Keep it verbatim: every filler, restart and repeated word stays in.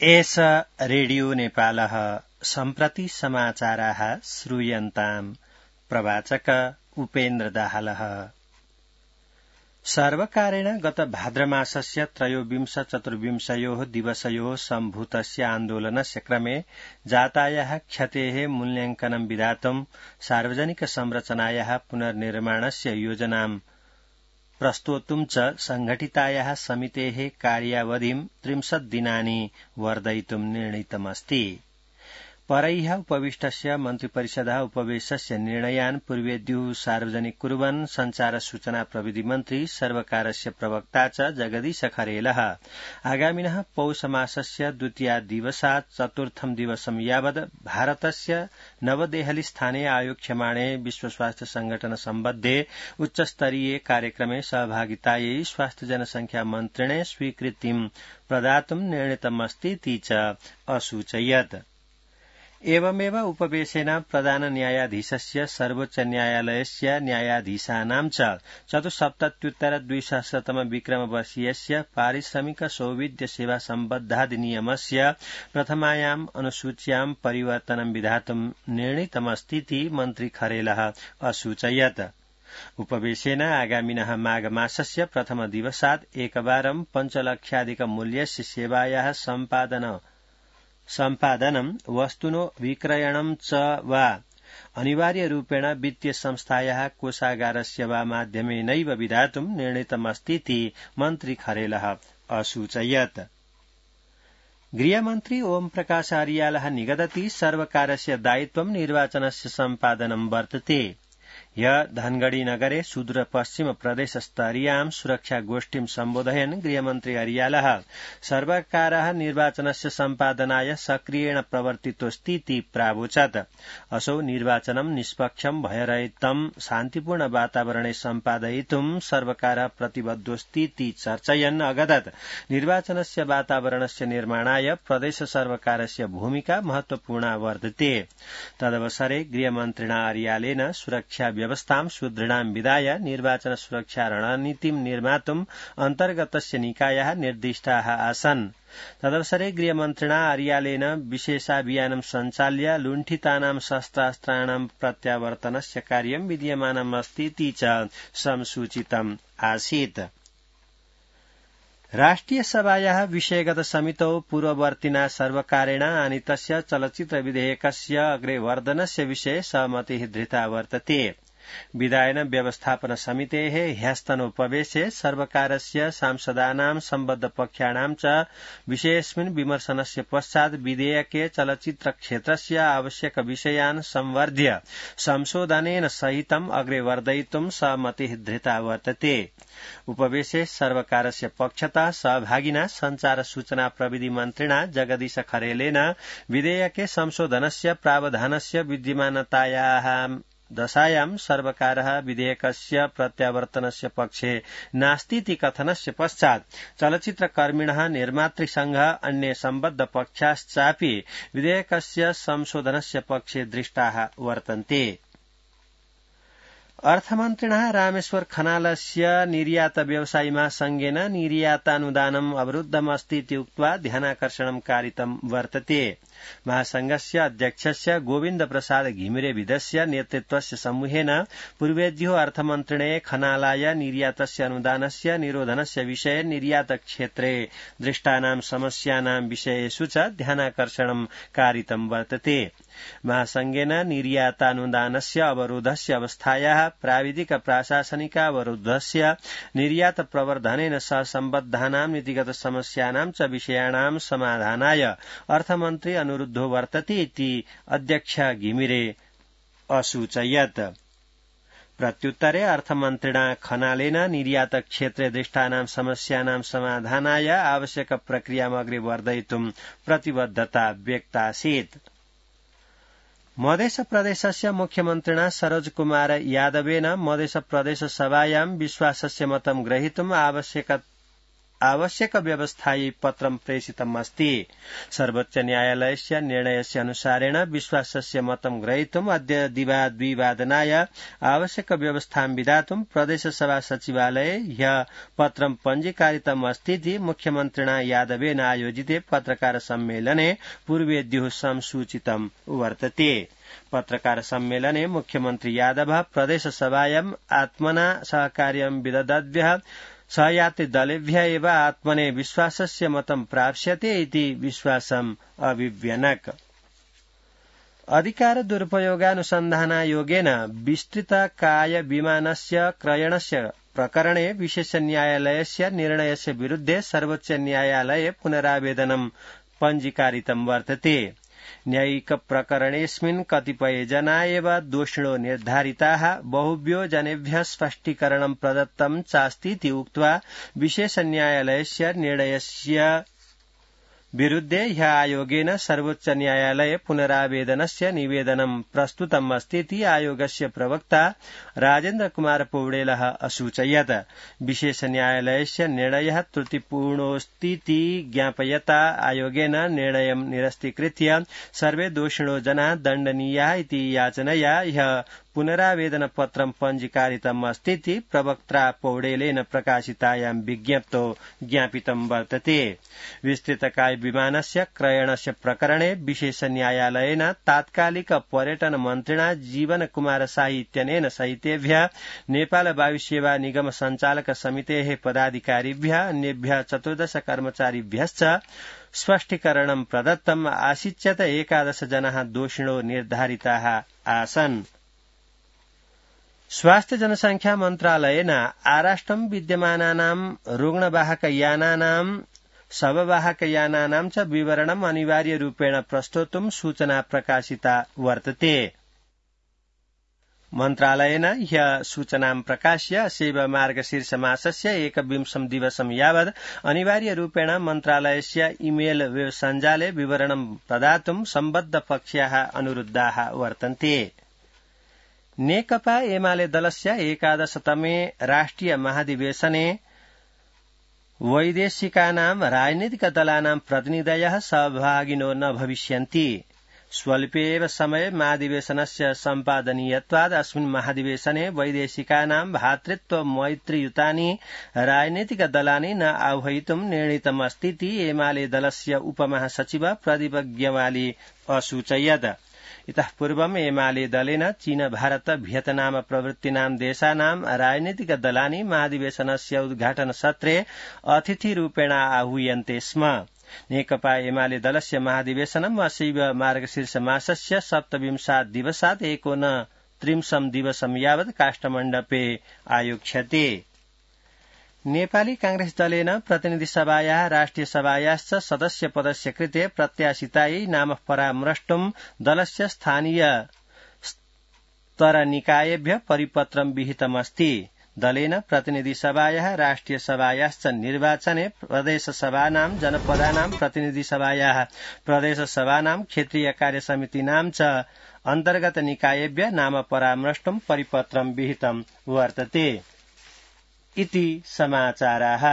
एष रेडियो नेपालः सम्प्रति समाचाराः श्रूयन्ताम्। प्रवाचक उपेन्द्र दाहालः। सर्वकारेण गत भाद्रमासस्य त्रयोविंश चतुर्विंशयोः दिवसयोः सम्भूतस्य आन्दोलनस्य क्रमे जातायाः क्षतेः मूल्यांकनं विधातुं सार्वजनिक संरचनायाः पुनर्निर्माणस्य योजनां प्रस्तोतुं च संघटितायाः समितेः कार्यावधिं त्रिंशत् दिनानि वर्धयितुं निर्णीतमस्ति। परैः उपविष्टस्य मन्त्रिपरिषदः उपवेशस्य निर्णयान् पूर्वेद्युः सार्वजनिक कुर्वन् संचार सूचना प्रविधि मन्त्री सर्वकारस्य प्रवक्ता च जगदीश खरेलः आगामिनः पौषमासस्य द्वितीयादिवसात् चतुर्थं दिवसं यावत् भारतस्य नवदेहलीस्थाने आयोक्ष्यमाणे विश्व स्वास्थ्य संगठन सम्बद्धे उच्चस्तरीये कार्यक्रमे सहभागितायै स्वास्थ्य जनसंख्या मन्त्रिणे स्वीकृतिं प्रदातुं निर्णीतमस्तीति च असूचयत्। एवमेव उपवेशेन प्रधान न्यायाधीशस्य सर्वोच्च न्यायालयस्य न्यायाधीशानां च चतुस्सप्तत्युत्तर द्विसहस्रतम विक्रमवर्षीयस्य पारिश्रमिक सौविध्य सेवा सम्बद्धाधिनियमस्य प्रथमायाम् अनुसूच्यां परिवर्तनं विधातुं निर्णीतमस्तीति मन्त्री खरेलः असूचयत्। उपवेशेन आगामिनः माघ मासस्य प्रथम दिवसात् एकवारं पञ्चलक्षाधिक मूल्यस्य सेवायाः सम्पादन सम्पादनं वस्तुनो विक्रयणं च वा अनिवार्यरूपेण वित्तीय संस्थायाः कोषागारस्य वा माध्यमेनैव विधातुं निर्णीतमस्तीति मन्त्री खरेलः असूचयत्। गृहमन्त्री ओम प्रकाश अर्यालः निगदति सर्वकारस्य दायित्वं निर्वाचनस्य सम्पादनं वर्तते। ह्य धनगढ़ी नगरे सुदूर पश्चिम प्रदेश स्तरीयां सुरक्षा गोष्ठीं सम्बोधयन् गृहमन्त्री अर्यालः सर्वकारः निर्वाचनस्य सम्पादनाय सक्रियेण प्रवर्तितोऽस्तीति प्रावोचत्। असौ निर्वाचनं निष्पक्षं भयरहितं शान्तिपूर्ण वातावरणे सम्पादयितुं सर्वकारः प्रतिबद्धोऽस्तीति चर्चयन् अगदत् निर्वाचनस्य वातावरणस्य निर्माणाय प्रदेश सर्वकारस्य भूमिका महत्वपूर्णा वर्तते। तदवसरे गृहमन्त्रिणा अर्यालेन सुरक्षा व्यवस्थां सुदृढां विधाय निर्वाचन सुरक्षा रणनीतिं निर्मातुं अन्तर्गतस्य निकायाः निर्दिष्टाः आसन्। तदवसरे गृहमन्त्रिणा अर्यालेन विशेषाभियानं सञ्चाल्य लुण्ठितानां शस्त्रास्त्राणां प्रत्यावर्तनस्य कार्यं विद्यमानमस्तीति च संसूचितम् आसीत्। राष्ट्रिय सभायाः विषयगत समितौ पूर्ववर्तिना सर्वकारेण आनीतस्य चलच्चित्र विधेयकस्य अग्रे वर्धनस्य विषये सहमतिः धृता वर्तते। विधायन व्यवस्थापन समितेः ह्यस्तनोपवेशे सर्वकारस्य सांसदानां सम्बद्ध पक्षाणां च विषयेऽस्मिन् विमर्शनस्य पश्चात् विधेयके चलच्चित्र क्षेत्रस्य आवश्यक विषयान् संवर्ध्य संशोधनेन सहितम् अग्रे वर्धयितुं सहमतिः धृता वर्तते। उपवेशे सर्वकारस्य पक्षतः सहभागिना संचार सूचना प्रविधि मन्त्रिणा जगदीश खरेलेन विधेयके संशोधनस्य प्रावधानस्य विद्यमानतायाः दशायां सर्वकारः विधेयकस्य प्रत्यावर्तनस्य पक्षे नास्तीति कथनस्य पश्चात् चलच्चित्रकर्मिणः निर्मातृसंघ अन्ये सम्बद्ध पक्षाश्चापि विधेयकस्य संशोधनस्य पक्षे दृष्टाः वर्तन्ते। अर्थमन्त्रिणः रामेश्वर खनालस्य निर्यात व्यवसायी महासंघेन निर्यातानुदानम् अवरुद्धमस्तीति उक्त्वा ध्यानाकर्षणं कारितं वर्तते। महासंघस्य अध्यक्षस्य गोविन्द प्रसाद घिमिरेविदस्य नेतृत्वस्य समूहेन पूर्वेद्युः अर्थमन्त्रिणे खनालाय निर्यातस्य अनुदानस्य निरोधनस्य विषये निर्यात क्षेत्रे दृष्टानां समस्यानां विषयेषु च ध्यानाकर्षणं कारितं वर्तते। महासंघेन निर्यातानुदानस्य अवरोधस्य अवस्थायाः प्राविधिक प्राशासनिकावरोधस्य निर्यात प्रवर्धनेन सह सम्बद्धानां नीतिगत समस्यानां च विषयाणां समाधानाय अर्थमन्त्री अनुरुद्धो वर्तते इति अध्यक्ष घिमिरे असूचयत्। प्रत्युत्तरे अर्थमन्त्रिणा खनालेन निर्यात क्षेत्रे दृष्टानां समस्यानां समाधानाय आवश्यक प्रक्रियाम् अग्रे वर्धयितुं प्रतिबद्धता व्यक्तासीत्। मध्य प्रदेशस्य मुख्यमन्त्रिणा सरोज कुमार यादवेन मध्य प्रदेश सभायां विश्वासस्य मतं ग्रहीतुम् आवश्यक आवश्यक व्यवस्थायै पत्रं प्रेषितमस्ति। सर्वोच्च न्यायालयस्य निर्णयस्य अनुसारेण विश्वासस्य मतं ग्रहीतुम् अद्य दिवा द्विवादनाय आवश्यक व्यवस्थां विधातुं प्रदेशसभा सचिवालये ह्यः पत्रं पञ्जीकारितमस्तीति मुख्यमन्त्रिणा यादवेन आयोजिते पत्रकार सम्मेलने पूर्वेद्युः संसूचितं वर्तते। पत्रकार सम्मेलने मुख्यमन्त्री यादव प्रदेशसभायाम् आत्मना सहकार्यं विददाद्भ्यः सहयात्रि दलेभ्यः एव आत्मने विश्वासस्य मतं प्राप्स्यते इति विश्वासम् अभिव्यनक्। अधिकार दुरुपयोगानुसन्धानायोगेन विस्तृतकाय विमानस्य क्रयणस्य प्रकरणे विशेष न्यायालयस्य निर्णयस्य विरुद्धे सर्वोच्च न्यायालये पुनरावेदनं पञ्जीकारितं वर्तते। न्यायिक प्रकरणेऽस्मिन् कतिपय जना एव दोषिणो निर्धारिताः बहुभ्यो जनेभ्यः स्पष्टीकरणं प्रदत्तं चास्तीति उक्त्वा विशेष न्यायालयस्य निर्णयस्य विरुद्धे ह्यः आयोगेन सर्वोच्च न्यायालये पुनरावेदनस्य निवेदनं प्रस्तुतम् अस्तीति आयोगस्य प्रवक्ता राजेन्द्र कुमार पौडेलः असूचयत्। विशेष न्यायालयस्य निर्णयः त्रुटिपूर्णोऽस्तीति ज्ञापयता आयोगेन निर्णयं निरस्तीकृत्य सर्वे दोषिणो जनाः दण्डनीयाः इति याचनया ह्यः पुनरावेदन पत्रं पञ्जीकारितम् अस्तीति प्रवक्त्रा पौडेलेन प्रकाशितायां विज्ञप्तौ ज्ञापितं वर्तते। विस्तृतकाय विमानस्य क्रयणस्य प्रकरणे विशेष न्यायालयेन तात्कालिक पर्यटन मन्त्रिणा जीवन कुमार शाही इत्यनेन सहितेभ्यः नेपाल वायुसेवा निगम सञ्चालक समितेः पदाधिकारिभ्यः अन्येभ्यः चतुर्दश कर्मचारिभ्यश्च स्पष्टीकरणं प्रदत्तम् आसीच्यत एकादश जनाः दोषिणो निर्धारिताः आसन्। स्वास्थ्य जनसंख्या मन्त्रालयेन आराष्ट्रं विद्यमानानां रुग्णवाहकयानानां शववाहकयानानां च विवरणम् अनिवार्यरूपेण प्रस्तोतुं सूचना प्रकाशिता वर्तते। मन्त्रालयेन ह्यः सूचनां प्रकाश्य अशैव मार्गशीर्षमासस्य एकविंशं दिवसं यावत् अनिवार्यरूपेण मन्त्रालयस्य इमेल वेब सञ्जाले विवरणं प्रदातुं सम्बद्ध पक्षाः अनुरुद्धाः वर्तन्ते। नेकपा एमाले दलस्य एकादशतमे राष्ट्रिय महाधिवेशने वैदेशिकानां राजनीतिक दलानां प्रतिनिधयः सहभागिनो न भविष्यन्ति। स्वल्पे एव समये महाधिवेशनस्य सम्पादनीयत्वात् अस्मिन् महाधिवेशने वैदेशिकानां भातृत्व मैत्रियुतानि राजनीतिक दलानि न आह्वयितुं निर्णीतमस्तीति एमाले दलस्य उपमहासचिव प्रदीप ग्यवाली असूचयत्। इतः पूर्वम् एमाले दलेन चीन भारत भियतनाम प्रभृतीनां देशानां राजनीतिक दलानि महाधिवेशनस्य उद्घाटन सत्रे अतिथिरूपेण आहूयन्ते स्म। नेकपा एमाले दलस्य महाधिवेशनम् अशैव मार्गशीर्ष मासस्य सप्तविंशात् दिवसात् एकोनत्रिंशं दिवसं यावत् काष्ठमण्डपे आयोक्ष्यते। नेपाली कांग्रेस दलेन प्रतिनिधि सभायाः राष्ट्रिय सभायाश्च सदस्य पदस्य कृते प्रत्याशितायै नाम परामृष्टुं दलस्य स्थानीय स्तरनिकायेभ्यः परिपत्रं विहितमस्ति। दलेन प्रतिनिधि सभायाः राष्ट्रिय सभायाश्च निर्वाचने प्रदेश सभानां जनपदानां प्रतिनिधि सभायाः प्रदेश सभानां क्षेत्रीय कार्यसमितीनां च अन्तर्गत निकायेभ्यः नाम परामृष्टुं परिपत्रं विहितं वर्तते। इति समाचाराः।